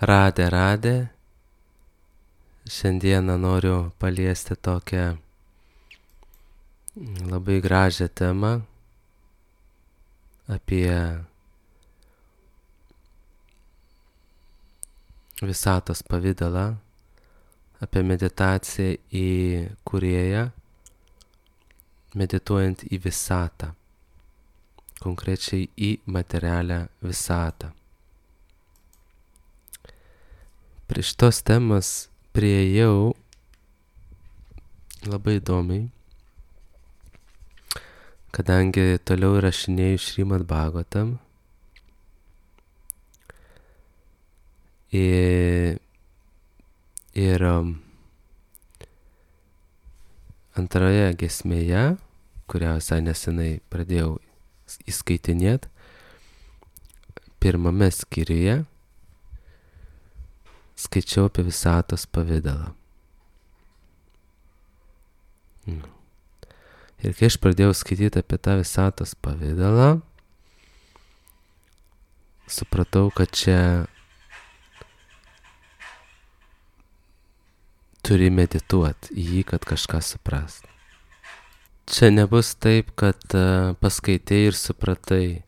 Radė, radė. Šiandieną noriu paliesti tokią labai gražią temą apie visatos pavidalą, apie meditaciją į Kūrėją, medituojant į visatą, konkrečiai į materialią visatą. Prie šitos temos priėjau labai įdomiai, kadangi toliau rašinėju Šrimad Bhagavatam ir antroje giesmėje, kurią visai nesenai pradėjau įskaitinėti, pirmame skyriuje skaičiau apie visatos pavidalą. Ir kai aš pradėjau skaityti apie tą visatos pavidalą, supratau, kad čia turi medituoti į jį, kad kažką suprast. Čia nebus taip, kad paskaitei ir supratai,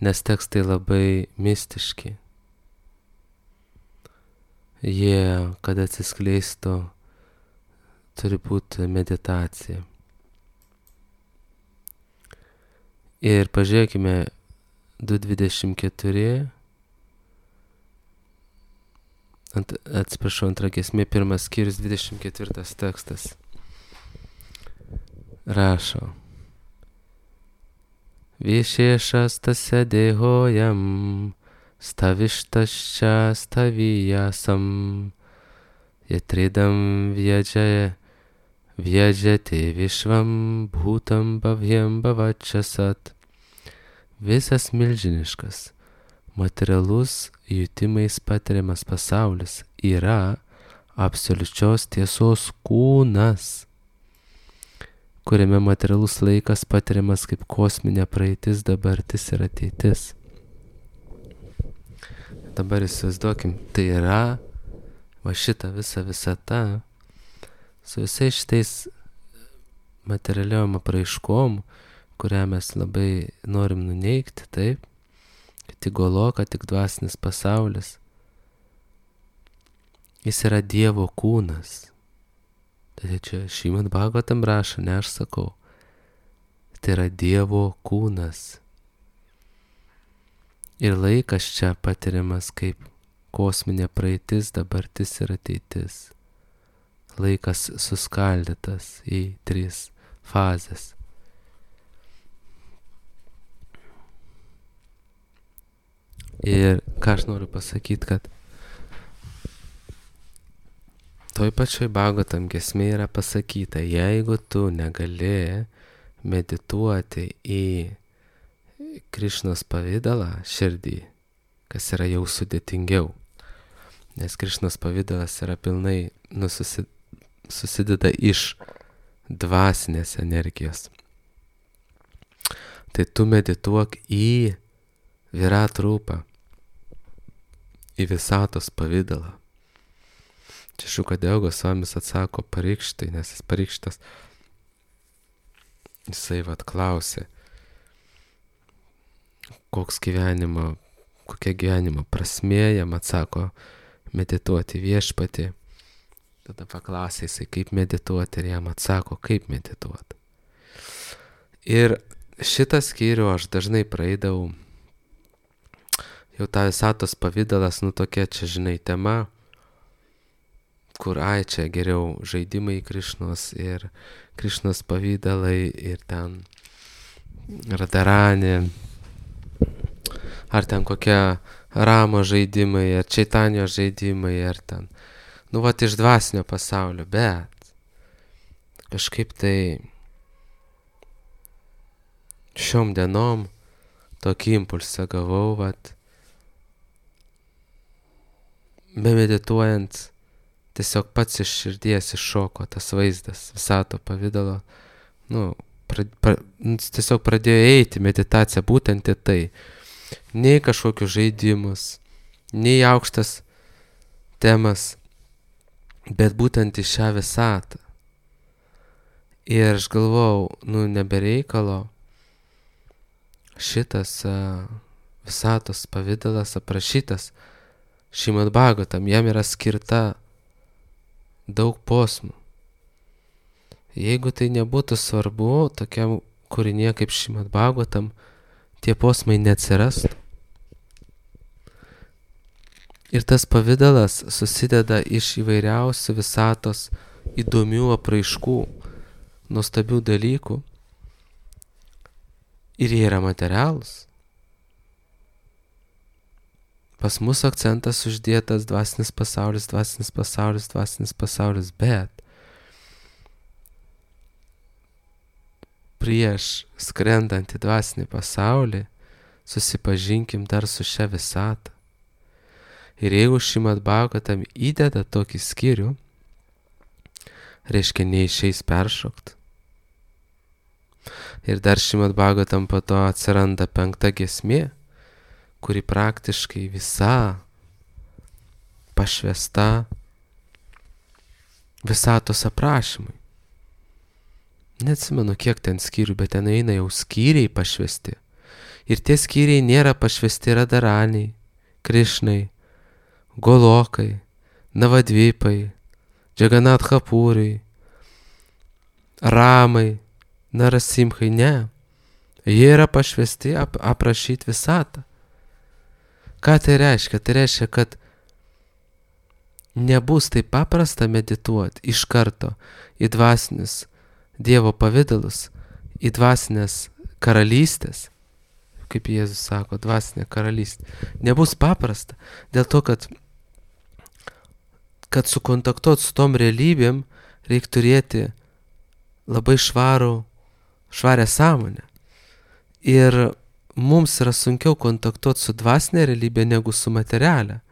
nes tekstai labai mistiški. Jie, kad atsiskleistų, turi būti meditacija. Ir pažiūrėkime 2.24, antra giesmė, pirmas skyrius, 24 tekstas. Rašo. Višešas tasya dehojam, stavištascha staviyasam, yatridam vyajate višvam bhutam bhavyam bhavachasat. Visas milžiniškas, materialus jutimais patiriamas pasaulis yra absoliučios tiesos kūnas, kuriame materialus laikas patiriamas kaip kosminė praeitis, dabartis ir ateitis. Dabar įsivaizduokim, tai yra va šita visa visata su visais šitais materialiom apraiškom, kurią mes labai norim nuneigti, taip, kad tik goloka, tik dvasinis pasaulis. Jis yra Dievo kūnas. Tai čia Šrimad Bhagavatam rašo, ne aš sakau. Tai yra Dievo kūnas. Ir laikas čia patiriamas kaip kosminė praeitis, dabartis ir ateitis. Laikas suskaldytas į 3 fazes. Ir ką aš noriu pasakyti, kad toj pačioj Bhagavatam giesmėje yra pasakyta, jeigu tu negali medituoti į Krišnos pavidalą širdį, kas yra jau sudėtingiau, nes Krišnos pavidalas yra pilnai susideda iš dvasinės energijos. Tai tu medituok į Virat rūpą, į visatos pavidalą. Čia Šukadeva Gosvamis atsako Parikštai, nes jis Parikštas, jisai klausė, kokia gyvenimo prasmė, jam atsako medituoti viešpatį. Tada paklausė jisai, kaip medituoti, ir jam atsako, kaip medituoti. Ir šitą skyrių aš dažnai praeidavau, jau tą visatos pavidalas, tokia čia, žinai, tema, kur čia geriau žaidimai Krišnos ir Krišnos pavidalai ir ten Radharani, ar ten kokie Ramo žaidimai, ar Čaitanio žaidimai, ar ten, iš dvasinio pasaulio, bet kažkaip tai šiom dienom tokį impulsą gavau, bemedituojant, tiesiog pats iš širdies iššoko tas vaizdas visato pavidalo, tiesiog pradėjo eiti meditacija būtent į tai. Nei kažkokius žaidimus, nei aukštas temas, bet būtent į šią visatą. Ir aš galvojau, nebereikalo šitas visatos pavidalas aprašytas Šrimad Bhagavatam, jam yra skirta daug posmų. Jeigu tai nebūtų svarbu, tokiam kūrinėje kaip Šrimad Bhagavatam, tie posmai neatsirastų. Ir tas pavidalas susideda iš įvairiausių visatos įdomių apraiškų, nuostabių dalykų. Ir jie yra materialūs. Pas mus akcentas uždėtas dvasinis pasaulis, dvasinis pasaulis, dvasinis pasaulis, bet prieš skrendant į dvasinį pasaulį susipažinkim dar su šia visata. Ir jeigu Šrimad Bhagavatam įdeda tokį skyrių, reiškia neišeis peršokt. Ir dar Šrimad Bhagavatam po to atsiranda 5 giesmė, kuri praktiškai visa pašvęsta visatos aprašymui. Neatsimenu, kiek ten skyrių, bet ten eina jau skyriai pašvęsti. Ir tie skyriai nėra pašvęsti Radharaniai, Krišnai, Golokai, Navadvipai, Džagannathapūrai, Ramai, Narasimhai, ne. Jie yra pašvęsti aprašyti visatą. Ką tai reiškia? Tai reiškia, kad nebus taip paprasta medituoti iš karto į dvasinius Dievo pavidalus, į dvasinės karalystės, kaip Jėzus sako, dvasinė karalystė. Nebus paprasta, dėl to, kad sukontaktuoti su tom realybėm reikia turėti labai švarę sąmonę. Ir mums yra sunkiau kontaktuoti su dvasinė realybė negu su materialia.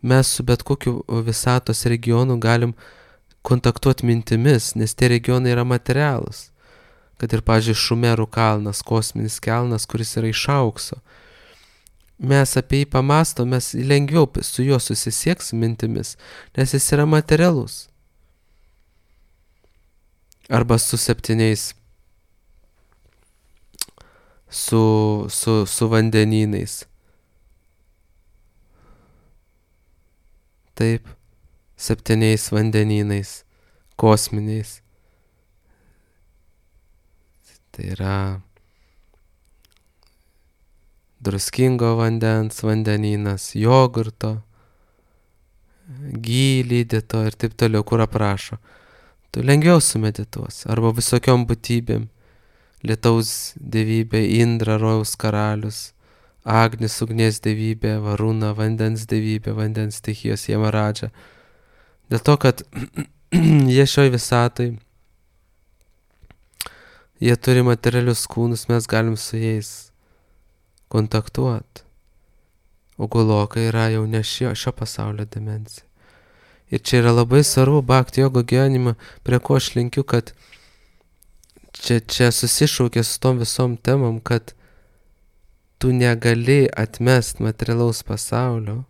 Mes su bet kokiu visatos regionu galim kontaktuoti mintimis, nes tie regionai yra materialūs. Kad ir, pavyzdžiui, Šumerų kalnas, kosminis kalnas, kuris yra iš aukso. Mes apie jį pamastom, mes lengviau su juo susisieksim mintimis, nes jis yra materialus. Arba su 7, su vandenynais. Taip, 7 vandenynais, kosminiais. Tai yra druskingo vandens vandenynas, jogurto, gylydyto ir taip toliau, kur aprašo. Tu lengviau sumedituos. Arba visokiom būtybėm. Lietaus dievybė, Indra, rojaus karalius, Agnis, ugnies dievybė, Varuna, vandens dievybė, vandens stichijos, Jamaradža. Dėl to, kad jie šioj visatoj, jie turi materialius kūnus, mes galim su jais kontaktuoti. O Goloka yra jau ne šio pasaulio dimensija. Ir čia yra labai svarbu bhakti jogo gyvenimą, prie ko aš linkiu, kad čia susišaukia su tom visom temom, kad tu negali atmest materialaus pasaulio,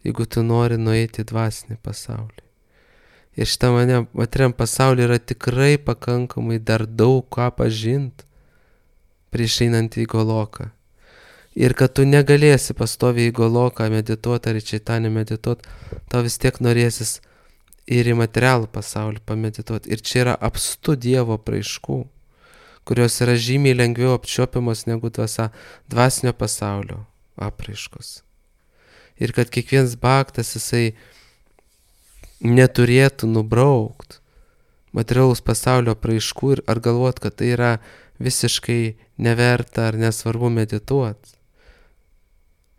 jeigu tu nori nueiti į dvasinį pasaulį. Ir šitą materialiam pasaulyje yra tikrai pakankamai dar daug ką pažint prieš einant į Goloką. Ir kad tu negalėsi pastoviai į Goloką medituoti ar į Čaitanį medituoti, tau vis tiek norėsis ir į materialų pasaulį pamedituoti. Ir čia yra apstu Dievo apraiškų, kurios yra žymiai lengviau apčiuopiamos negu dvasinio pasaulio apraiškos. Ir kad kiekvienas bhaktas jisai neturėtų nubraukt materialaus pasaulio apraiškų ir ar galvot, kad tai yra visiškai neverta ar nesvarbu medituoti.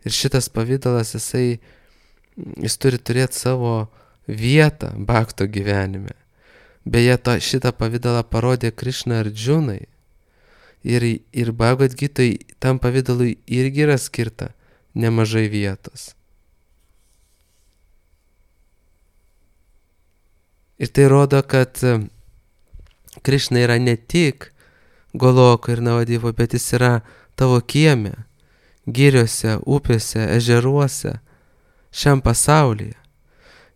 Ir šitas pavidalas jis turi turėti savo vietą bhakto gyvenime. Beje, šitą pavidalą parodė Krišna Arjunai. Ir Bhagavad Gitai tam pavidalui irgi yra skirta nemažai vietos. Ir tai rodo, kad Krišna yra ne tik Goloko ir Navadivo, bet jis yra tavo kieme, giriose, upėse, ežeruose, šiam pasaulyje.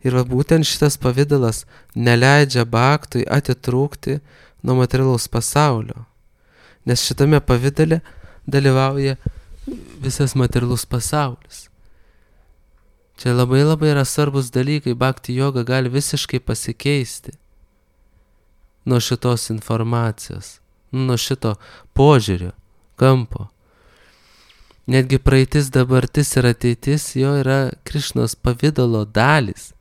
Ir va būtent šitas pavidalas neleidžia baktui atitrūkti nuo materialaus pasaulio. Nes šitame pavidale dalyvauja visas materialus pasaulis. Čia labai yra svarbus dalykai, bhakti joga gali visiškai pasikeisti nuo šitos informacijos, nuo šito požiūrio, kampo. Netgi praeitis, dabartis ir ateitis jo yra Krišnos pavidalo dalys.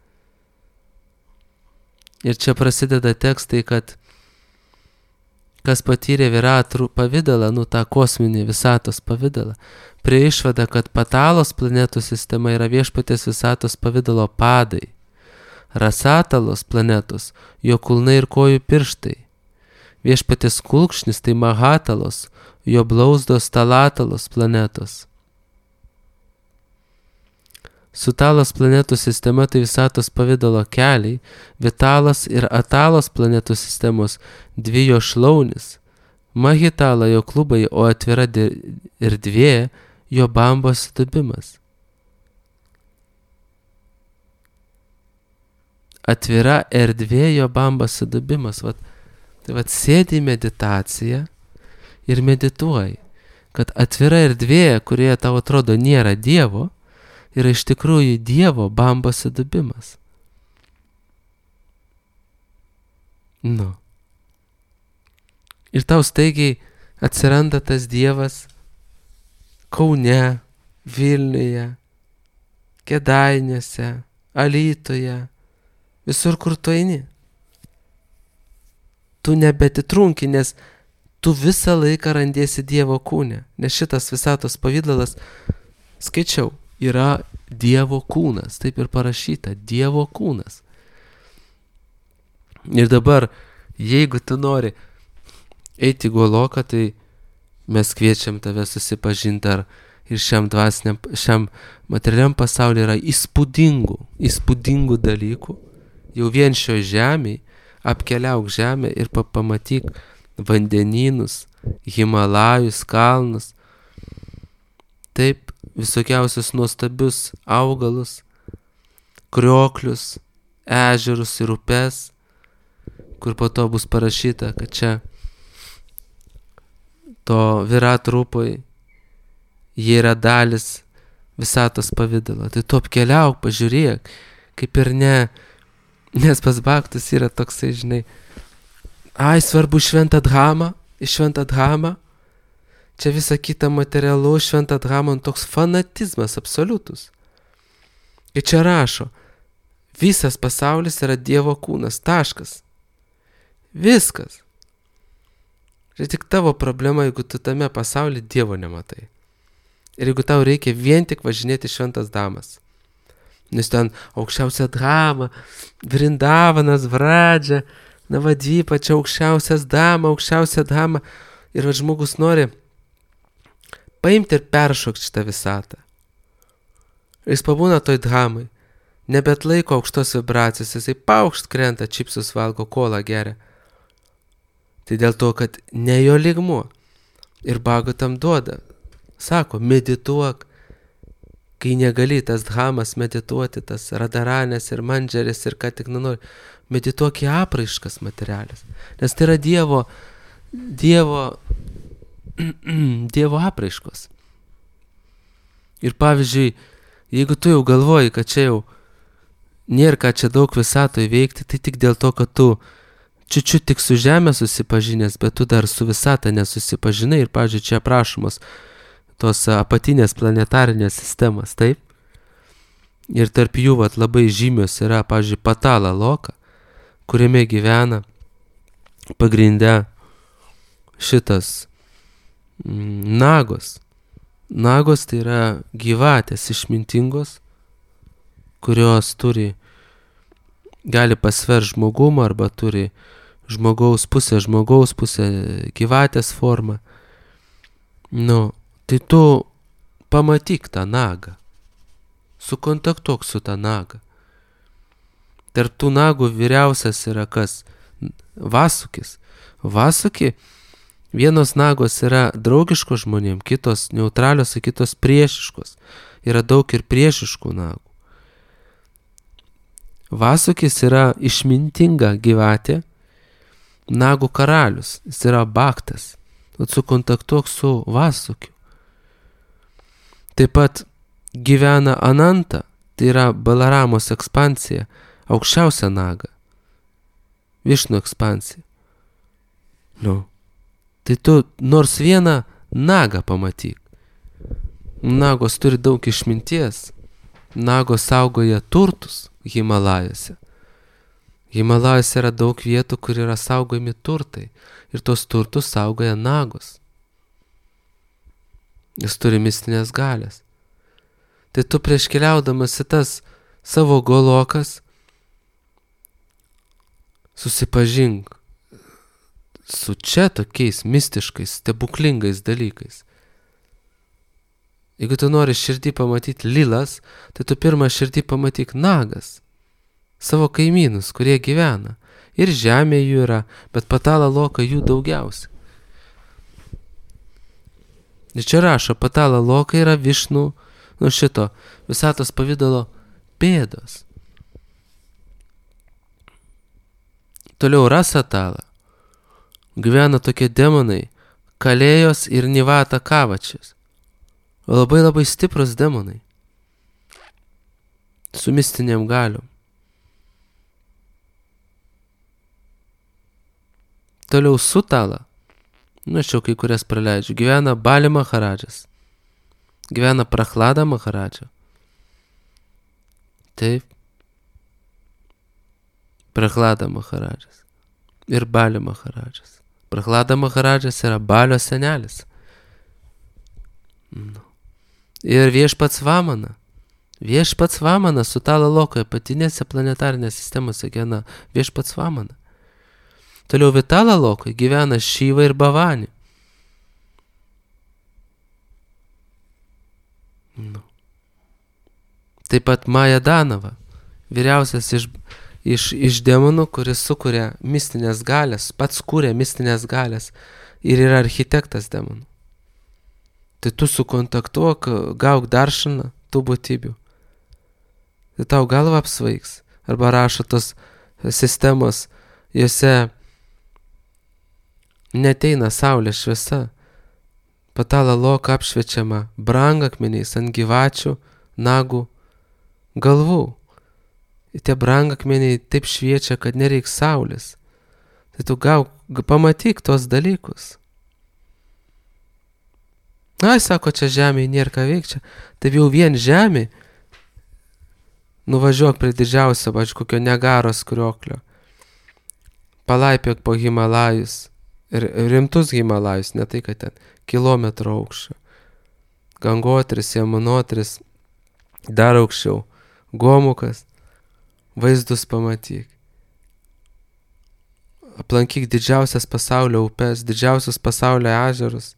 Ir čia prasideda tekstai, kad kas patyrė viratrų pavidalą, tą kosminį visatos pavidalą, prie išvada, kad Patalos planetų sistema yra viešpaties visatos pavidalo padai, Rasatalos planetos, jo kulnai ir kojų pirštai, viešpaties kulkšnis tai Mahatalos, jo blauzdos Talatalos planetos. Sutalos planetų sistema tai visatos pavidalo keliai, Vitalos ir Atalos planetų sistemos dvi jo šlaunis, Mahitala jo klubai, o atvira erdvė jo bambos dubimas. Atvira erdvė jo bambos dubimas. Tai sėdi į meditaciją ir medituoji, kad atvira erdvė, kurioje tau atrodo nėra Dievo, yra iš tikrųjų Dievo bambos dubimas. Ir tau staigiai atsiranda tas Dievas Kaune, Vilniuje, Kėdainiuose, Alytuje, visur, kur tu eini. Tu nebetitrunki, nes tu visą laiką randiesi Dievo kūne, nes šitas visatos pavidalas, skaičiau, yra Dievo kūnas, taip ir parašyta, Dievo kūnas. Ir dabar, jeigu tu nori eiti Goloką, tai mes kviečiam tave susipažinti, ar ir šiam materialiam pasaulyje yra įspūdingų dalykų. Jau vien šio žemėj, apkeliauk žemę ir pamatyk vandenynus, Himalajus, kalnus, taip visokiausius nuostabius augalus, krioklius, ežerus ir upes, kur po to bus parašyta, kad čia to viratrupoj jie yra dalis visatos pavidalo. Tai tu apkeliauk, pažiūrėk, kaip ir ne, nes pas bhaktus yra toksai, žinai, svarbu šventą dhamą, čia visa kita materialu, šventą dhamą, toks fanatizmas absoliutus. Ir čia rašo, visas pasaulis yra Dievo kūnas, taškas. Viskas. Ir tik tavo problema, jeigu tu tame pasaulyje Dievo nematai. Ir jeigu tau reikia vien tik važinėti šventas dhamas. Nes ten aukščiausia dhama, Vrindavanas, Vradža, Navadvipa, čia aukščiausia dhama. Ir žmogus nori paimti ir peršokti šitą visatą. Ir jis pabūna toj dhamai, nebet laiko aukštos vibracijos, jisai paukšt krenta, čipsus valgo, kolą geria. Tai dėl to, kad ne jo lygmuo. Ir Bhagavatam duoda, sako, medituok, kai negali tas dhamas medituoti, tas radaranės ir mandžeris ir ką tik nori, medituok į apraiškas materialės. Nes tai yra Dievo apraiškos. Ir pavyzdžiui, jeigu tu jau galvoji, kad čia jau nėra ką čia daug visatoje veikti, tai tik dėl to, kad tu čiučiu tik su žemė susipažinęs, bet tu dar su visata nesusipažinai ir, pavyzdžiui, čia aprašomos tos apatinės planetarinės sistemas, taip? Ir tarp jų labai žymios yra, pavyzdžiui, Patala loka, kuriame gyvena pagrinde šitas nagos. Nagos tai yra gyvatės išmintingos, kurios gali pasver žmogumą arba turi žmogaus pusę gyvatės formą. Tai tu pamatyk tą nagą, sukontaktuok su tą nagą. Tarp tų nagų vyriausias yra kas? Vasukis. Vasuki, vienos nagos yra draugiškos žmonėm, kitos neutralios, kitos priešiškos. Yra daug ir priešiškų nagų. Vasukis yra išmintinga gyvatė, nagų karalius, jis yra baktas. Sukontaktuok su Vasukiu. Taip pat gyvena Ananta, tai yra Balaramos ekspansija, aukščiausia naga. Višnu ekspansija. Tai tu nors vieną nagą pamatyk. Nagos turi daug išminties. Nagos saugoja turtus Himalajose. Himalajose yra daug vietų, kur yra saugojami turtai. Ir tos turtus saugoja nagos. Jis turi mistinės galės. Tai tu prieš keliaudamas į tas savo golokas susipažink su čia tokiais mistiškais, stebuklingais dalykais. Jeigu tu nori širdį pamatyti lilas, tai tu pirmą širdį pamatyk nagas, savo kaimynus, kurie gyvena. Ir žemė jų yra, bet Patala Loka jų daugiausia. Ir čia rašo, Patala Loka yra Višnų, šito visatos pavidalo pėdos. Toliau Rasatala. Gyvena tokie demonai, Kalėjos ir Nivata Kavačias. Labai labai stiprus demonai. Su mistiniam galiom. Toliau Sutala. Aš jau kai kurias praleidžiu. Gyvena Bali Maharadžas. Gyvena Prachlada Maharadža. Taip. Prachlada Maharadžas. Ir Bali Maharadžas. Prachlada Maharadžas yra Balio senelis. Ir viešpats Vamana. Viešpats Vamana Sutala Lokoje, patinėse planetarinės sistemose gyvena viešpats Vamana. Toliau Vitala Lokoje gyvena Šiva ir Bhavani. Taip pat Maja Danava, vyriausias iš demonų, kuris sukuria mistinės galės, pats kūrė mistinės galės ir yra architektas demonų. Tai tu sukontaktuok, gauk daršaną tų būtybių. Tai tau galva apsvaigs. Arba rašo tos sistemos, jose neteina saulės šviesa. Patala Loka apšviečiama brangakmeniais ant gyvačių, nagų, galvų. Ir tie brangakmeniai taip šviečia, kad nereiks saulės. Tai tu pamatyk tos dalykus. Sako, čia žemėje nėra ką veikti. Tai jau vien žemė. Nuvažiuok prie didžiausio, kokio Niagaros krioklio. Palaipiok po Himalajus. Ir rimtus Himalajus, ne tai, kad ten kilometro aukščio. Gangotris, Jamunotris, dar aukščiau. Gomukas. Vaizdus pamatyk. Aplankyk didžiausias pasaulio upes, didžiausius pasaulio ežerus.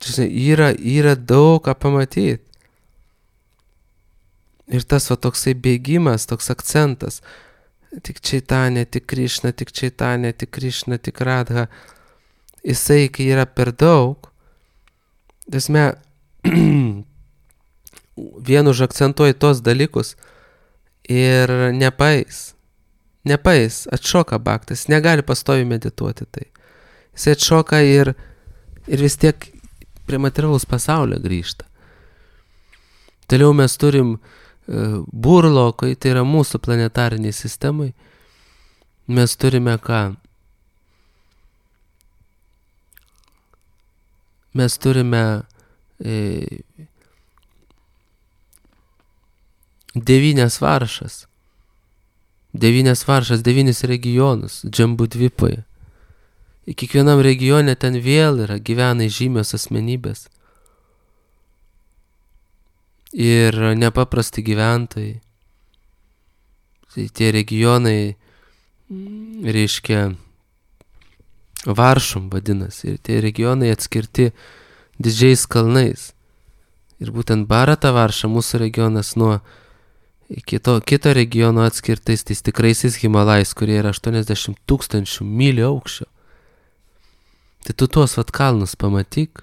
Yra daug ką pamatyti. Ir tas toksai bėgimas, toks akcentas. Tik Čaitanė, tik Krišna, tik Čaitanė, tik Krišna, tik Radha. Jisai, kai yra per daug, vien užakcentuoji tos dalykus ir nepais, atšoka baktas, negali pastoviai medituoti tai. Jisai atšoka ir vis tiek prie materialaus pasaulio grįžta. Toliau mes turim burlokai, tai yra mūsų planetariniai sistemai. Mes turime ką? Mes turime 9 varšas. 9 regionus, Džambudvipoje. Ir kiekvienam regione ten vėl gyvena žymios asmenybės. Ir nepaprasti gyventojai. Tai tie regionai, reiškia, varšom vadinasi. Ir tie regionai atskirti didžiais kalnais. Ir būtent Bharata varša, mūsų regionas, nuo kito regiono atskirtais tais tikraisiais Himalajais, kurie yra 80 000 mylių aukščio. Tai tu tuos kalnus pamatyk,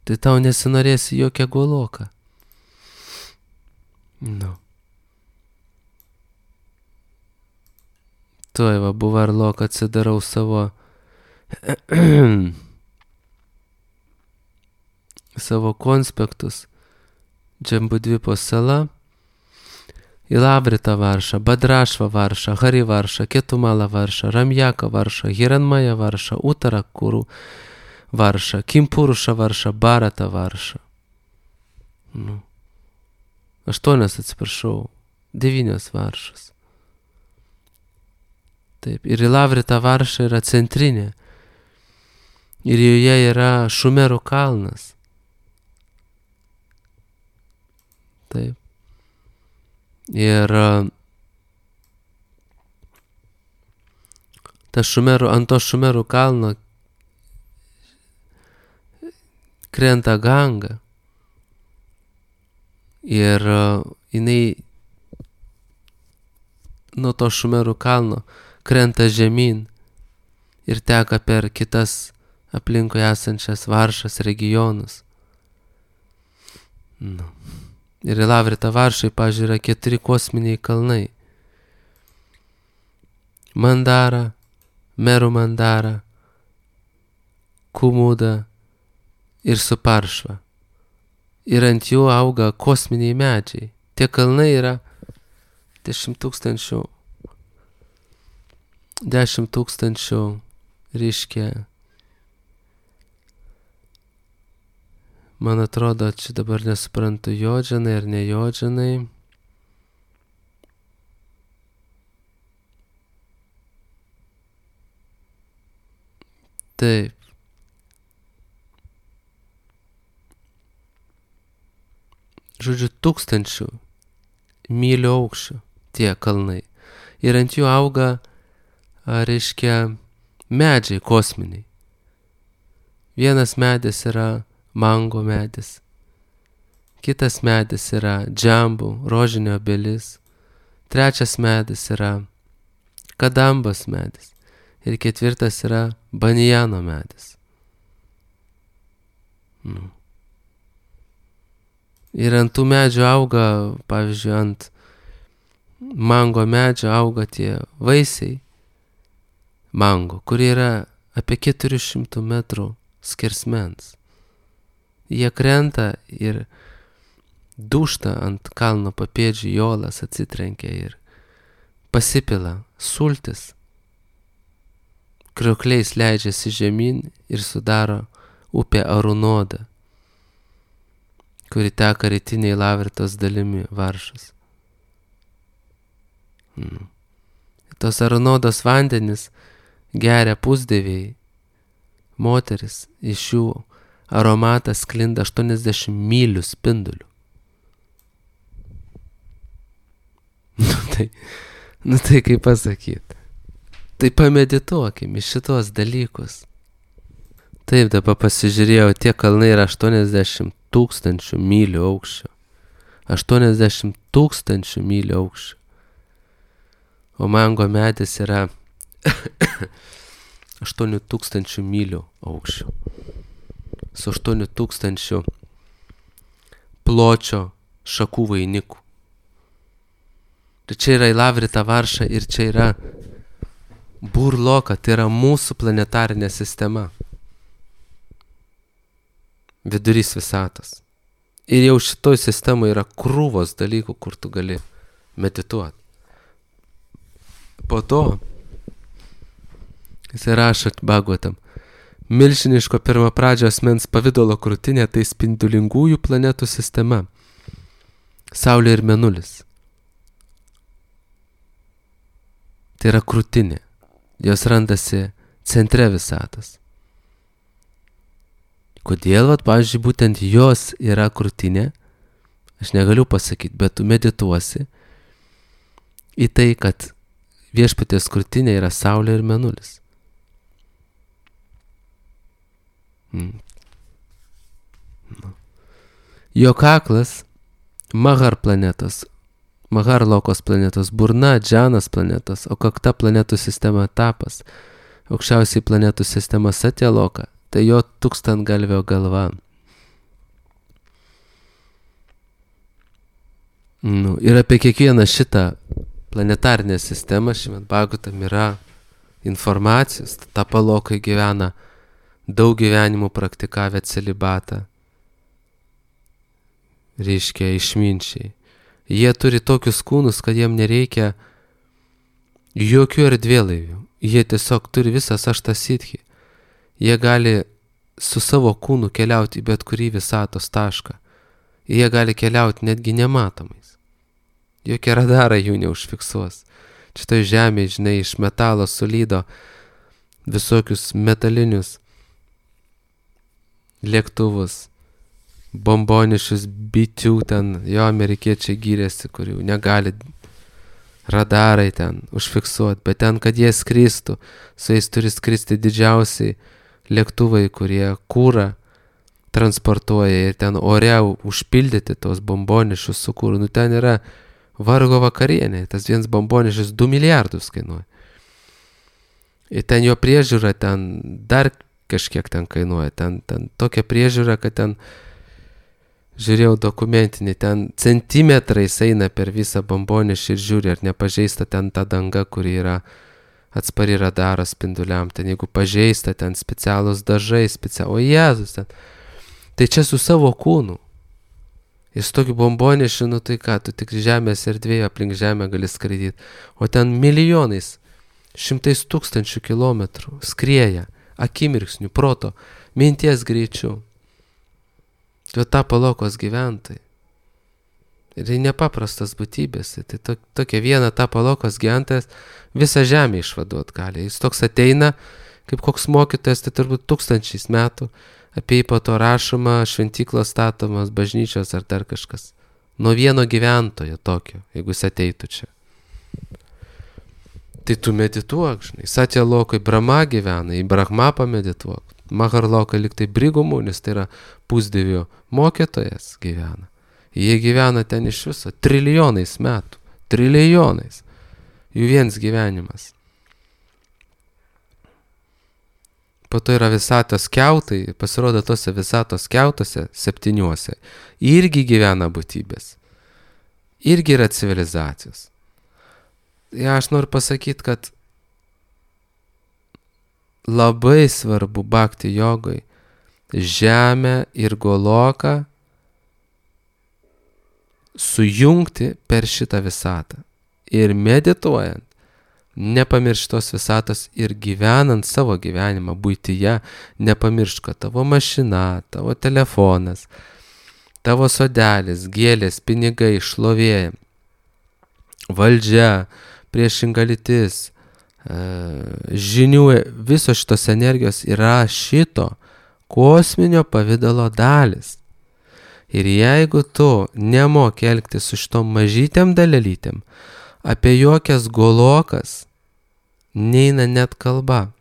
tai tau nesinorėsi jokią goloką. Nu. Tuoj va buvo arlok atsidarau savo savo konspektus. Džambudvipo sala, Ilavrita Varša, Badrašva Varša, Harivarša, Ketumala Varša, Ramjaka Varša, Hiranmaja Varša, Utarakuru Varša, Kimpuruša Varša, Barata Varša. Nu. 8, atsiprašau, 9 Varšas. Taip, ir Ilavrita Varša yra centrinė. Ir joje yra Šumerų kalnas. Taip. Ir ant to Šumerų kalno krenta Ganga. Ir jinai nuo to Šumerų kalno krenta žemyn ir teka per kitas aplinkui esančias Varšas regionus. Nu. Ir Ilavrita Varšai, pavyzdžiui, yra 4 kosminiai kalnai. Mandara, Meru Mandara, Kumuda ir Suparšva. Ir ant jų auga kosminiai medžiai. Tie kalnai yra 10 tūkstančių, reiškia, man atrodo, čia dabar nesuprantu, jodžanai ar ne jodžanai. Taip. Žodžiu, 1000 mylių aukščio tie kalnai. Ir ant jų auga, reiškia, medžiai kosminiai. Vienas medis yra mango medis. Kitas medis yra džambų, rožinio obelis. 3 medis yra kadambos medis. Ir 4 yra banjano medis. Nu. Ir ant tų medžių auga, pavyzdžiui, ant mango medžio auga tie vaisiai mango, kurie yra apie 400 metrų skersmens. Jie krenta ir dūžta ant kalno papėdžių, jolas atsitrenkia ir pasipila sultis. Kriokliais leidžiasi žemyn ir sudaro upę Arunodą, kuri teka rytiniai Lavritos dalimi Varšos. Tos Arunodos vandenis geria pusdieviai, moteris, iš jų aromatas sklinda 80 mylių spindulių. Nu tai kaip pasakyti. Tai pamedituokim į šitos dalykus. Taip, dabar pasižiūrėjau, tie kalnai yra 80 000 mylių aukščio. 80 000 mylių aukščio. O mango medis yra 8000 mylių aukščio. Su 8000 pločio šakų vainikų. Tai čia yra Ilavrita Varša ir čia yra Burloka, tai yra mūsų planetarinė sistema. Vidurys visatos. Ir jau šitoj sistemoje yra krūvos dalykų, kur tu gali medituoti. Po to jis rašo Bhagavatam. Milžiniško pirmapradžio asmens pavidalo krūtinė tai spindulingųjų planetų sistema. Saulė ir Mėnulis. Tai yra krūtinė. Jos randasi centre visatos. Kodėl, pavyzdžiui, būtent jos yra krūtinė, aš negaliu pasakyti, bet tu medituosi į tai, kad viešpaties krūtinė yra Saulė ir Mėnulis. Jo kaklas Mahar planetos, Maharlokos planetos, burna Džanas planetos, o kakta planetų sistema Tapas, aukščiausiai planetų sistema Satyaloka, tai jo 1000-galvio galva. Ir apie kiekvieną šitą planetarinę sistemą Šrimad Bhagavatam yra informacijos. Tapalokai gyvena daug gyvenimų praktikavę celibatą, reiškia išminčiai. Jie turi tokius kūnus, kad jiem nereikia jokių erdvėlaivių. Jie tiesiog turi visas aštasitchi. Jie gali su savo kūnu keliauti į bet kurį visatos tašką. Jie gali keliauti netgi nematomais. Jokie radarai jų neužfiksuos. Šitoj žemėje, žinai, iš metalo sulydo visokius metalinius lėktuvus, bombonišius bitių ten, jo amerikiečiai gyrėsi, kurių negali radarai ten užfiksuoti, bet ten, kad jie skristų, su jais turi skristi didžiausiai lėktuvai, kurie kūrą transportuoja ir ten ore užpildyti tos bombonišius su kūru. Ten yra vargo vakarienė, tas vienas bombonišis 2 milijardus kainuoja. Ir ten jo priežiūra ten dar kažkiek ten kainuoja. Ten tokia priežiūra, kad ten, žiūrėjau dokumentinį, ten centimetrais eina per visą bombonišį ir žiūri, ar nepažeista ten ta danga, kuri yra atspari radaro spinduliam. Ten jeigu pažeista, ten specialūs dažai, o Jėzus ten. Tai čia su savo kūnu. Ir su tokiu bombonišiu, tai ką, tu tik žemės erdvėje aplink žemę gali skraidyti. O ten milijonais, 100 000 kilometrų skrieja, akimirksnių, proto, minties greičiu. Tai Tapalokos gyventojai. Ir tai nepaprastas būtybės. Tai tokia viena Tapalokos gyventojas visą žemę išvaduot gali. Jis toks ateina, kaip koks mokytojas, tai turbūt 1000 metų. Apie jį po to rašoma, šventyklos statomas, bažnyčios ar dar kažkas. Nuo vieno gyventojo tokio, jeigu jis ateitų čia. Tai tu medituok, žinai. Satya Lokai Brahma gyvena, į Brahma pamedituok. Maharlokai liktai Brigumunis, tai yra pusdievių mokytojas gyvena. Jie gyvena ten iš viso trilijonais metų. Trilijonais. Jų viens gyvenimas. Po to yra visatos kiautai, pasirodo tose visatos kiautose 7. Irgi gyvena būtybės. Irgi yra civilizacijos. Ja, aš noriu pasakyti, kad labai svarbu bhakti jogai žemę ir Goloką sujungti per šitą visatą. Ir medituojant, nepamiršk tos visatos ir gyvenant savo gyvenimą buityje, nepamiršk, kad tavo mašina, tavo telefonas, tavo sodelis, gėlės, pinigai, šlovė, valdžia, priešinga lytis, žinių, visos šitos energijos yra šito kosminio pavidalo dalis. Ir jeigu tu nemoki elgtis su šitom mažytėm dalelytėm, apie jokias Golokas neina net kalba.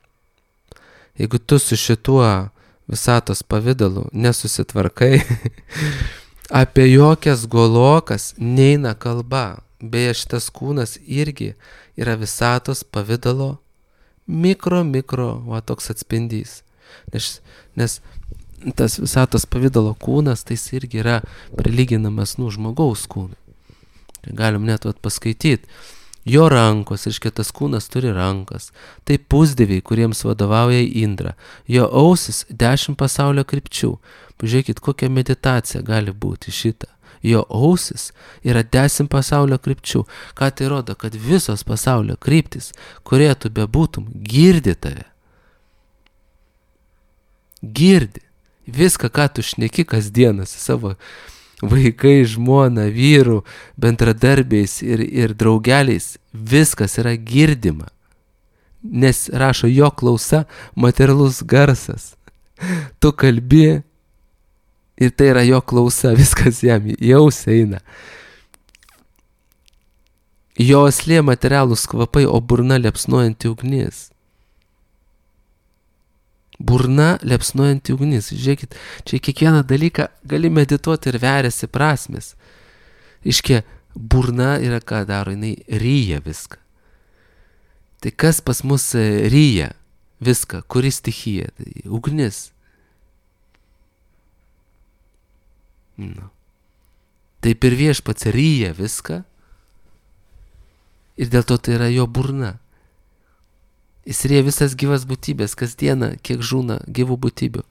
Jeigu tu su šituo visatos pavidalu nesusitvarkai, apie jokias Golokas neina kalba. Beje, šitas kūnas irgi yra visatos pavidalo mikro, toks atspindys. Nes tas visatos pavidalo kūnas, tai jis irgi yra prilyginamas žmogaus kūnui. Galim net paskaityti. Jo rankos, reiškia, tas kūnas turi rankas. Tai pusdieviai, kuriems vadovauja Indra. Jo ausis 10 pasaulio krypčių. Pažiūrėkit, kokia meditacija gali būti šita. Jo ausis yra 10 pasaulio krypčių. Ką tai rodo? Kad visos pasaulio kryptis, kurie tu bebūtum, girdi tave. Girdi. Viską, ką tu šneki kasdieną su savo vaikai, žmona, vyrų, bendradarbiais ir draugeliais, viskas yra girdima. Nes rašo jo klausa, materialus garsas. Tu kalbi ir tai yra jo klausa, viskas jam jaus eina. Jo aslė materialūs kvapai, o burna liepsnojanti ugnis. Burna liepsnojanti ugnis. Žiūrėkit, čia kiekvieną dalyką gali medituoti ir veriasi prasmės. Iškia, burna yra ką daro, jinai ryja viską. Tai kas pas mus ryja viską, kuri stichija? Tai ugnis. taip ir Viešpats ryja viską ir dėl to tai yra jo burna. Jis ryja visas gyvas būtybės, kasdieną, kiek žūna gyvų būtybių.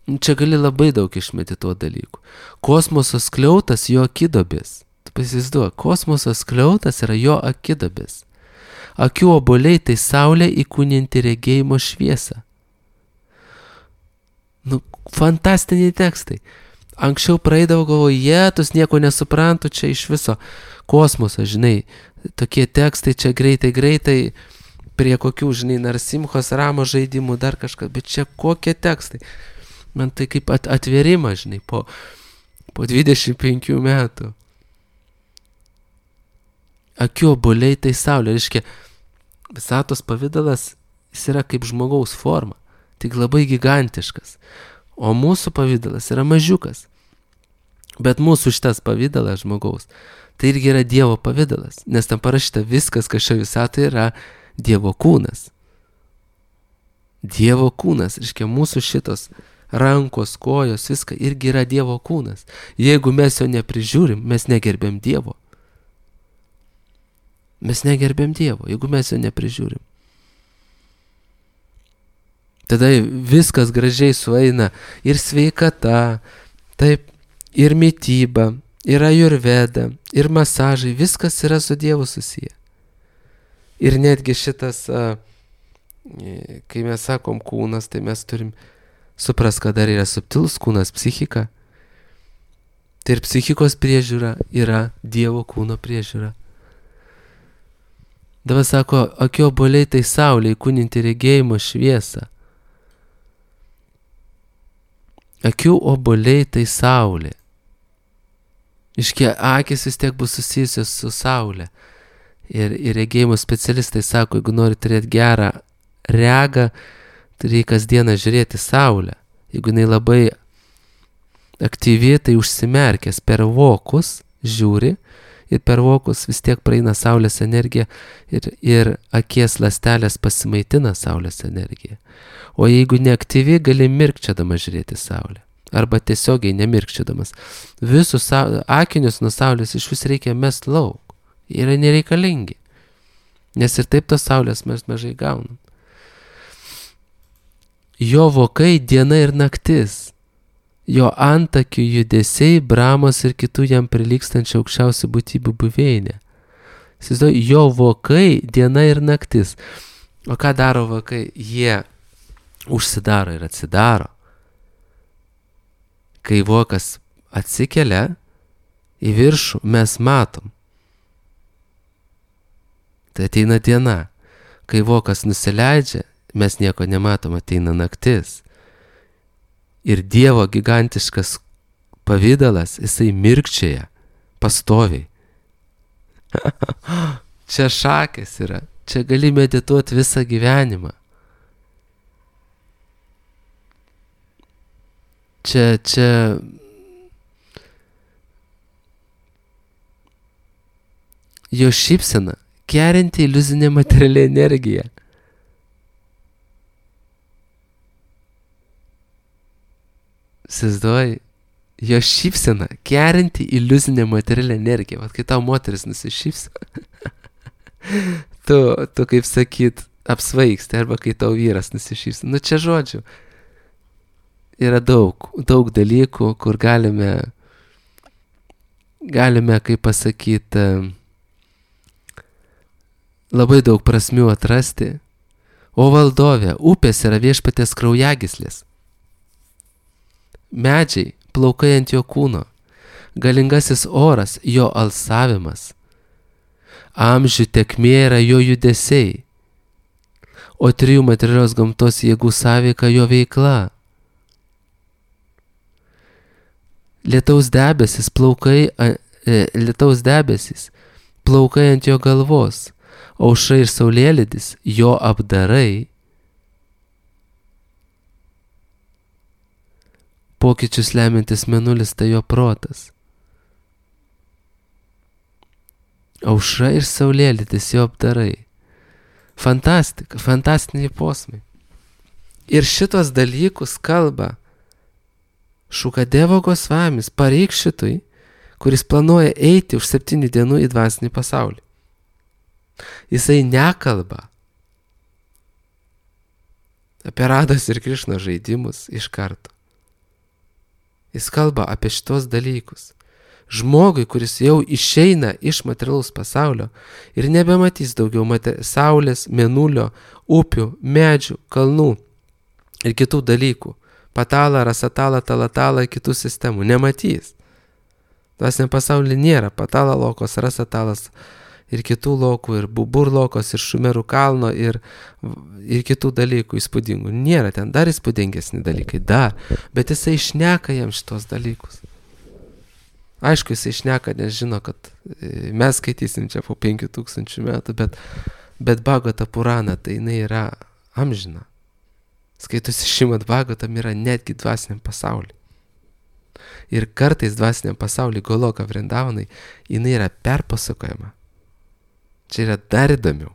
Čia gali labai daug išmedituoti dalykų. Kosmoso skliautas jo akidobės. Tu pasivaizduoji, kosmoso skliautas yra jo akidobės. Akių obuoliai tai saulė įkūninti regėjimo šviesą. Fantastiniai tekstai. Anksčiau praeidavo, galvoju, jėtus, nieko nesuprantu, čia iš viso kosmoso, žinai, tokie tekstai čia greitai, prie kokių, žinai, Narsimchos Ramo žaidimų, dar kažką, bet čia kokie tekstai. Man tai kaip atvėrimas, žinai, po 25 metų. Akių obuoliai tai saulė, reiškia, visatos pavidalas, jis yra kaip žmogaus forma, tik labai gigantiškas. O mūsų pavidalas yra mažiukas. Bet mūsų šitas pavidalas žmogaus, tai irgi yra Dievo pavidalas, nes tam parašyta viskas, kas šio visatoje yra Dievo kūnas. Dievo kūnas, reiškia mūsų šitos rankos, kojos, viską irgi yra Dievo kūnas. Jeigu mes jo neprižiūrim, mes negerbėm Dievo. Mes negerbėm Dievo, jeigu mes jo neprižiūrim. Tada viskas gražiai sueina ir sveikata, taip, ir mityba, ir ajurveda, ir masažai, viskas yra su Dievu susiję. Ir netgi šitas, kai mes sakom kūnas, tai mes turim suprast, kad dar yra subtilus kūnas, psichika. Tai ir psichikos priežiūra yra Dievo kūno priežiūra. Dabar sako, akių obuoliai tai saulė įkūninti regėjimo šviesą. Akių obuoliai tai saulė. Iškia, akis vis tiek bus susijusios su saulė. Ir regėjimo specialistai sako, jeigu nori turėti gerą regą, tai reikia kasdieną žiūrėti saulę. Jeigu jinai labai aktyvi, tai užsimerkęs per vokus žiūri ir per vokus vis tiek praeina saulės energija ir akies ląstelės pasimaitina saulės energiją. O jeigu neaktyvi, gali mirkčiadamas žiūrėti saulę. Arba tiesiogiai nemirkčiadamas. Visus akinius nuo saulės iš vis reikia mest lauk. Jie yra nereikalingi. Nes ir taip tos saulės mes mažai gaunam. Jo vokai diena ir naktis. Jo antakių judesiai, bramos ir kitų jam prilykstančių aukščiausių būtybių buveinė. Įsivaizduoju, jo vokai diena ir naktis. O ką daro vokai? Jie užsidaro ir atsidaro. Kai vokas atsikelia į viršų, mes matom. Tai ateina diena. Kai vokas nusileidžia, mes nieko nematom, ateina naktis. Ir Dievo gigantiškas pavidalas, jisai mirkčioja pastoviai. Čia šakės yra. Čia gali medituoti visą gyvenimą. Čia jo šypsena kerinti iliuzinę materialią energiją. Įsivaizduoji, jo šypsena kerinti iliuzinę materialią energiją. Vat kai tau moteris nusišypso, tu kaip sakyt, apsvaigsti, arba kai tau vyras nusišypso. Čia žodžiu. Yra daug dalykų, kur galime, kaip pasakyti, labai daug prasmių atrasti. O valdove, upės yra Viešpaties kraujagyslės. Medžiai, plaukai ant jo kūno. Galingasis oras, jo alsavimas. Amžių tekmė yra jo judesiai. O trijų materialios gamtos jėgų sąveika jo veikla. Lietaus debesis, plaukai ant jo galvos, aušra ir saulėlydis, jo apdarai, pokyčius lemiantis mėnulis, tai jo protas. Aušra ir saulėlydis, jo apdarai. Fantastika, fantastiniai posmai. Ir šitos dalykus kalba Šukadevo Gosvamis pareikš šitui, kuris planuoja eiti už 7 dienų į dvasinį pasaulį. Jisai nekalba apie Rados ir Krišnos žaidimus iš karto. Jis kalba apie šitos dalykus. Žmogui, kuris jau išeina iš materialaus pasaulio ir nebematys daugiau saulės, mėnulio, upių, medžių, kalnų ir kitų dalykų, patalą, rasatalą, talatalą, kitų sistemų, nematys. Dvasiniam pasaulyje nėra patalą lokos, rasatalas ir kitų lokų, ir bubur lokos, ir šumerų kalno, ir kitų dalykų įspūdingų. Nėra ten dar įspūdingesni dalykai, dar, bet jisai šneka jam šitos dalykus. Aišku, jisai šneka, nes žino, kad mes skaitysim čia po 5000 metų, bet Bhagavata Purana, tai jinai yra amžina. Skaitosi Šrimad Bhagavatam yra netgi dvasiniam pasauliui. Ir kartais dvasiniam pasauliui Goloka Vrindavanai, jinai yra perpasakojama. Čia yra dar įdomiau.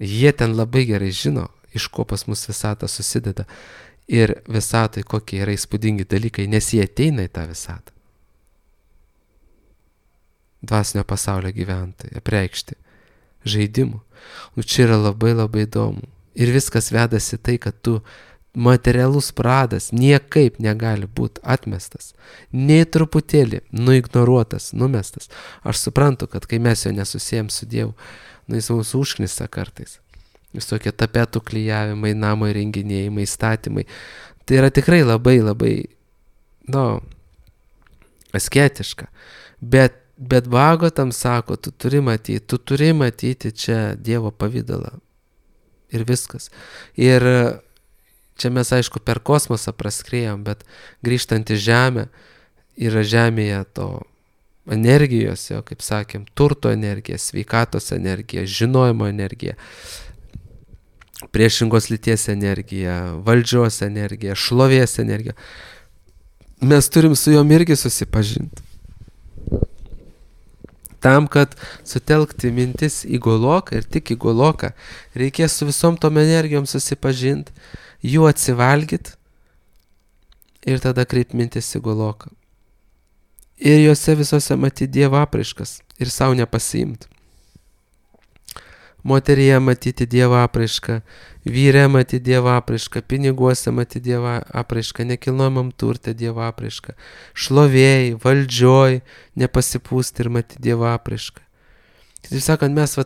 Jie ten labai gerai žino, iš ko pas mus visata susideda. Ir visatai kokie yra įspūdingi dalykai, nes jie ateina į tą visatą. Dvasinio pasaulio gyventojai, apreikšti žaidimų. Čia yra labai labai įdomu. Ir viskas vedasi tai, kad tu materialus pradas niekaip negali būti atmestas, nei truputėlį nuignoruotas, numestas. Aš suprantu, kad kai mes jo nesusijam su Dievu, jis mūsų užknisa kartais. Visokie tapetų klijavimai, namo įrenginėjimai, statymai. Tai yra tikrai labai labai, asketiška. Bet Bhagavatam sako, tu turi matyti čia Dievo pavydalą. Ir viskas. Ir čia mes, aišku, per kosmosą praskrėjom, bet grįžtant į Žemę, yra Žemėje to energijos, jo, kaip sakėm, turto energija, sveikatos energija, žinojimo energija, priešingos lyties energija, valdžios energija, šlovės energija. Mes turim su jom irgi susipažinti. Tam, kad sutelkti mintis į Goloką ir tik į Goloką, reikės su visom tom energijom susipažinti, jų atsivalgyti ir tada kreipti mintis į Goloką. Ir juose visose matyti Dievo apraiškas ir savo nepasiimti. Moteryje matyti Dievo apraišką, vyre matyti Dievo apraišką, piniguose matyti Dievo apraišką, nekilnojamam turte Dievo apraišką, šlovėjai, valdžioj nepasipūsti ir matyti Dievo apraišką. Taip sakant, mes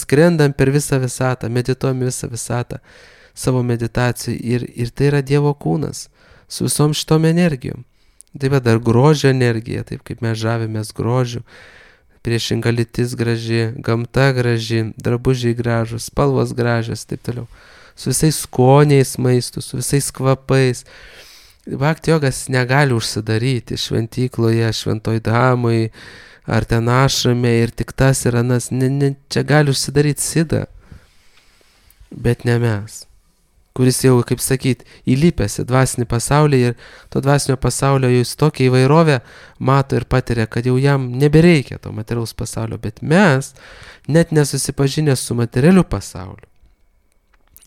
skrendam per visą visatą, medituojam visą visatą savo meditacijai ir tai yra Dievo kūnas su visom šitom energijom. Taip pat dar grožio energija, taip kaip mes žavimės grožiu. Priešinga lytis graži, gamta graži, drabužiai gražus, spalvos gražios, taip toliau. Su visais skoniais maistų, su visais kvapais. Bhakti jogas negali užsidaryti šventykloje, šventoj damai, ar ten ašrame ir tik tas ir anas. Čia gali užsidaryti Sida, bet ne mes. Kuris jau, kaip sakyt, įlipęs į dvasinį pasaulį ir to dvasinio pasaulio jis tokią įvairovę mato ir patiria, kad jau jam nebereikia to materialaus pasaulio, bet mes, net nesusipažinę su materialiu pasauliu,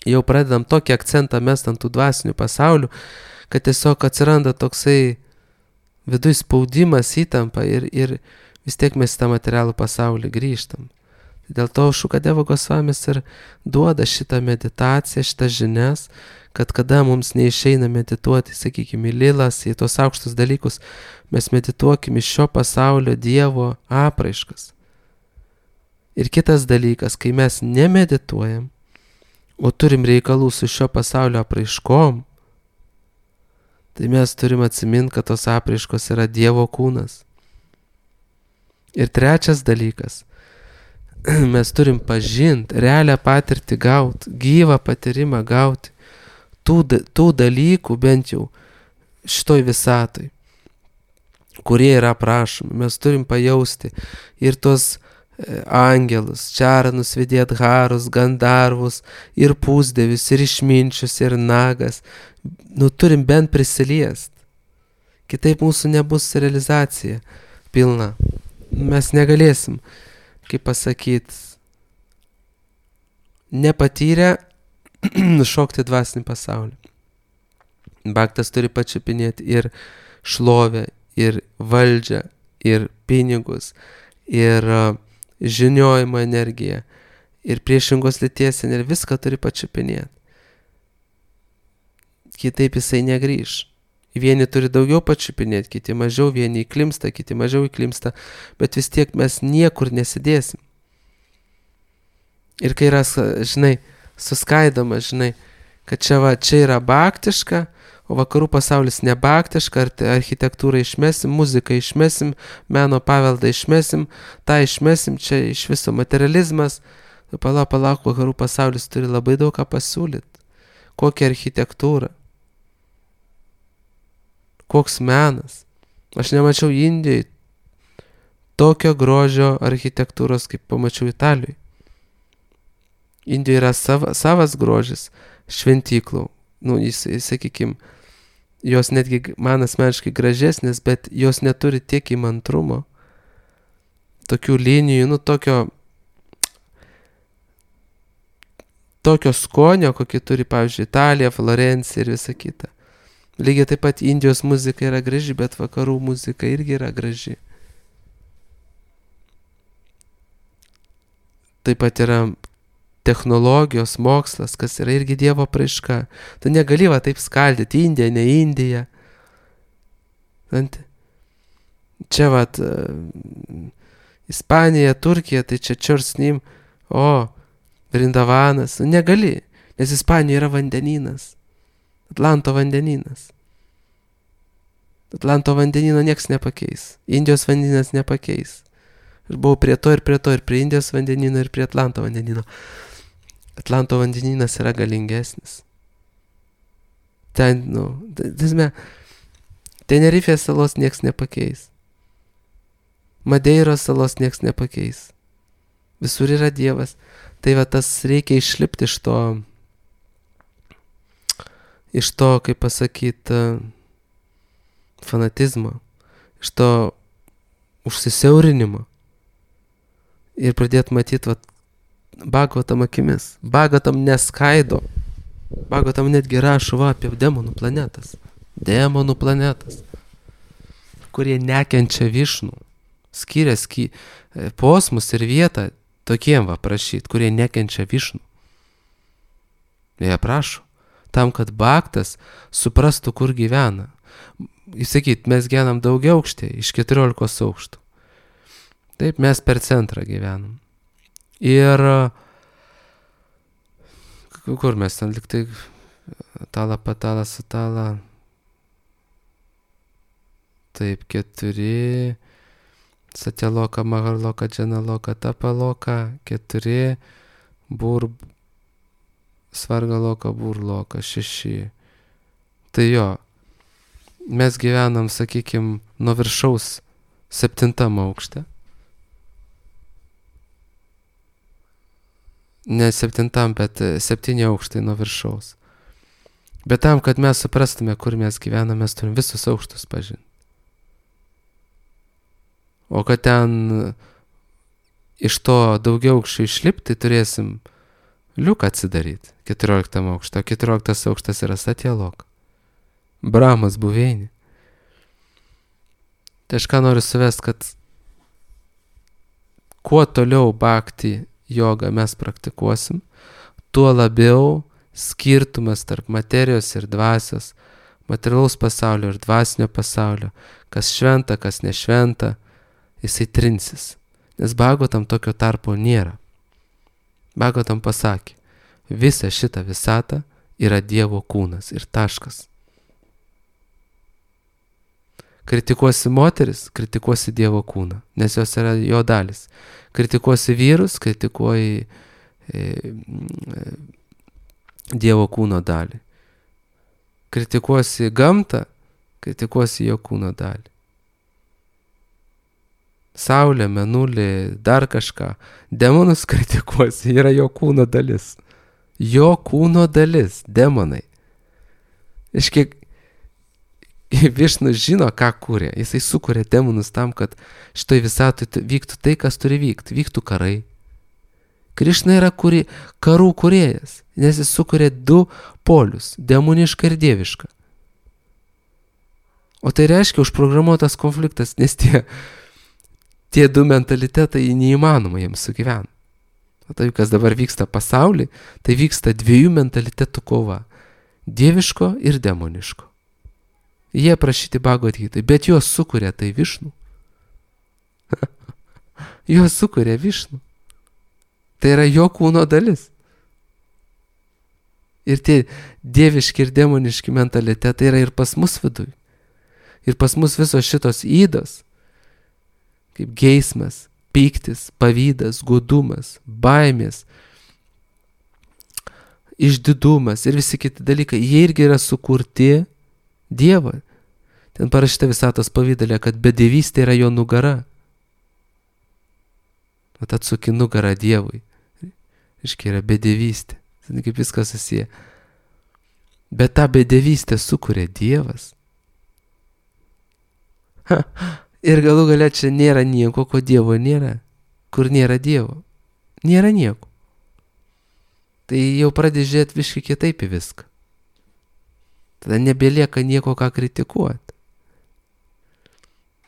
jau pradedam tokį akcentą mest ant tų dvasinių pasaulių, kad tiesiog atsiranda toksai viduj spaudimas, įtampa ir vis tiek mes į tą materialų pasaulį grįžtam. Dėl to Šukadeva Gosvamis ir duoda šitą meditaciją, šitą žinias, kad kada mums neišeina medituoti, sakykime, į lilas, į tos aukštus dalykus, mes medituokime šio pasaulio Dievo apraiškas. Ir kitas dalykas, kai mes nemedituojam, o turim reikalų su šio pasaulio apraiškom, tai mes turim atsiminti, kad tos apraiškos yra Dievo kūnas. Ir trečias dalykas, mes turim pažinti, realią patirtį gauti, gyvą patyrimą gauti, tų dalykų bent jau šitoj visatoj, kurie yra aprašomi. Mes turim pajausti ir tos angelus, čaranus, vidėdharus, gandarvus, ir pusdievius, ir išminčius, ir nagas. Turim bent prisiliest. Kitaip mūsų nebus realizacija pilna. Mes negalėsim, kaip pasakyt, nepatyrę šokti dvasinį pasaulį. Bhaktas turi pačiupinėti ir šlovę, ir valdžią, ir pinigus, ir žiniojimo energiją, ir priešingos lyties energiją, viską turi pačiupinėti. Kitaip jisai negrįž. Vieni turi daugiau pačiupinėti, kiti mažiau, vieni įklimsta, kiti mažiau įklimsta, bet vis tiek mes niekur nesidėsim. Ir kai yra, žinai, suskaidoma, žinai, kad čia yra baktiška, o vakarų pasaulis nebaktiška, architektūrą išmesim, muziką išmesim, meno paveldą išmesim, tą išmesim, čia iš viso materializmas. Palauk, vakarų pasaulis turi labai daug ką pasiūlyti. Kokią architektūrą, koks menas. Aš nemačiau Indijai tokio grožio architektūros, kaip pamačiau Italijoje. Indijoje yra savas grožis šventyklų. Sakykim, jos netgi man asmeniškai gražesnės, bet jos neturi tiek įmantrumo, tokių linijų, tokio skonio, kokį turi, pavyzdžiui, Italija, Florencija ir visa kita. Lygiai taip pat Indijos muzika yra graži, bet vakarų muzika irgi yra graži. Taip pat yra technologijos, mokslas, kas yra irgi Dievo apraiška. Tu negali taip skaldyti Indiją, ne Indiją. Čia Ispanija, Turkija, tai čia Čiursnim, Vrindavanas. Negali, nes Ispanija yra vandenynas. Atlanto vandenynas. Atlanto vandenyno nieks nepakeis. Indijos vandenynas nepakeis. Ir buvau prie to, ir prie Indijos vandenyno, ir prie Atlanto vandenyno. Atlanto vandenynas yra galingesnis. Ten, Tenerifės salos nieks nepakeis. Madeiros salos nieks nepakeis. Visur yra Dievas. Tai tas reikia išlipti iš to, kaip pasakyti, fanatizmo, iš to užsisiaurinimo ir pradėti matyti Bhagavatam akimis. Bhagavatam neskaido. Bhagavatam netgi rašo apie demonų planetas. Demonų planetas, kurie nekenčia Višnų. Skiria posmus ir vietą tokiem prašyti, kurie nekenčia Višnų. Jie prašo. Tam, kad Bhaktas suprastų, kur gyvena. Įsakyt, mes gyvenam daugia aukštė, iš 14 aukštų. Taip, mes per centrą gyvenam. Ir kur mes ten liktai tala, patala, sutala. Taip, 4, Satyaloka, Maharloka, Džanaloka, Tapaloka, 4, Svargaloka, Burloka, 6. Tai jo, mes gyvenam, sakykim, nuo viršaus 7 aukšte. Ne 7, bet 7 aukštai nuo viršaus. Bet tam, kad mes suprastume, kur mes gyvename, mes turim visus aukštus pažinti. O kad ten iš to daugiau aukščių išlipti, turėsim liuką atsidaryti 14 aukštą. 14 aukštas yra Satyaloka. Brahmas buveinė. Tai aš ką noriu suvest, kad kuo toliau bhakti jogą mes praktikuosim, tuo labiau skirtumas tarp materijos ir dvasios, materialaus pasaulio ir dvasinio pasaulio, kas šventa, kas nešventa, jisai trinsis. Nes Bhagavatam tokio tarpo nėra. Bhagavatam pasakė, visa šita visata yra Dievo kūnas ir taškas. Kritikuosi moteris, kritikuosi Dievo kūną, nes jos yra jo dalis. Kritikuosi vyrus, kritikuoji Dievo kūno dalį. Kritikuosi gamtą, kritikuosi jo kūno dalį. Saulė, mėnulį, dar kažką. Demonus kritikuosi, yra jo kūno dalis. Jo kūno dalis, demonai. Iškiek Višnus žino, ką kūrė. Jisai sukūrė demonus tam, kad šitoj visatoj vyktų tai, kas turi vykti. Vyktų karai. Krišna yra karų kūrėjas, nes jis sukūrė 2 polius, demonišką ir dievišką. O tai reiškia užprogramuotas konfliktas, nes tie du mentalitetai neįmanoma jiems sugyventi. O tai, kas dabar vyksta pasaulyje, tai vyksta dviejų mentalitetų kova. Dieviško ir demoniško. Jie prašyti Bhagavad Gitai, bet juos sukuria tai Višnu. Juos sukuria Višnu. Tai yra jo kūno dalis. Ir tie dieviški ir demoniški mentalitetai yra ir pas mus viduj. Ir pas mus visos šitos įdos, kaip geismas, pyktis, pavydas, godumas, baimės, išdidumas ir visi kiti dalykai, jie irgi yra sukurti Dievo. Ten parašyta Visatos pavydale, kad bedevystė yra jo nugara. O tad atsuki nugarą Dievui. Iškia yra bedevystė. Kaip viskas susiję. Bet tą bedevystę sukuria Dievas. Ir galų galia čia nėra nieko, ko Dievo nėra. Kur nėra Dievo. Nėra nieko. Tai jau pradės žiūrėti viškai kitaip į viską. Tada nebelieka nieko, ką kritikuoti.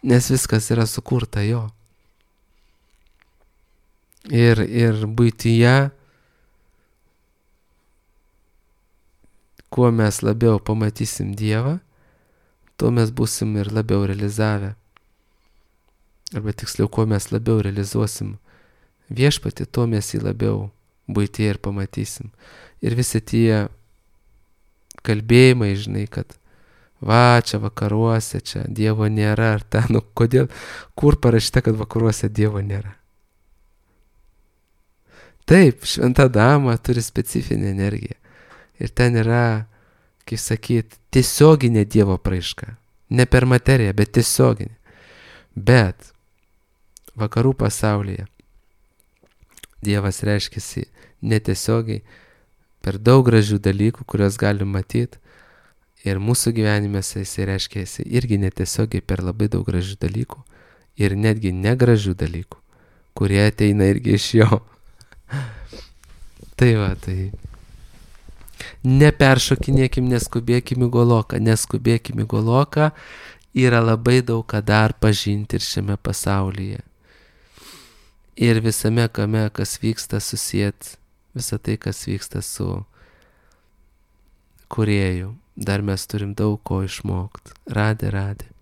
Nes viskas yra sukurta jo. Ir buityje, kuo mes labiau pamatysim Dievą, tuo mes būsim ir labiau realizavę. Arba tiksliau, kuo mes labiau realizuosim Viešpatį, tuo mes jį labiau buityje ir pamatysim. Ir visi tie kalbėjimai, žinai, kad va, čia vakaruose, čia Dievo nėra, ar ten, nu kodėl, kur parašyta, kad vakaruose Dievo nėra. Taip, šventa dama turi specifinę energiją. Ir ten yra, kaip sakyt, tiesioginė Dievo apraiška. Ne per materiją, bet tiesioginė. Bet vakarų pasaulyje Dievas reiškiasi netiesiogiai per daug gražių dalykų, kuriuos galim matyti. Ir mūsų gyvenimėse jisai reiškiasi irgi netiesiogiai per labai daug gražių dalykų. Ir netgi negražių dalykų, kurie ateina irgi iš jo. Tai va, tai neperšokinėkim, neskubėkim į Goloką. Yra labai daug ką dar pažinti ir šiame pasaulyje. Ir visame kame, kas vyksta, susijęs visą tai, kas vyksta su Kūrėju. Dar mes turim daug ko išmokti. Radė.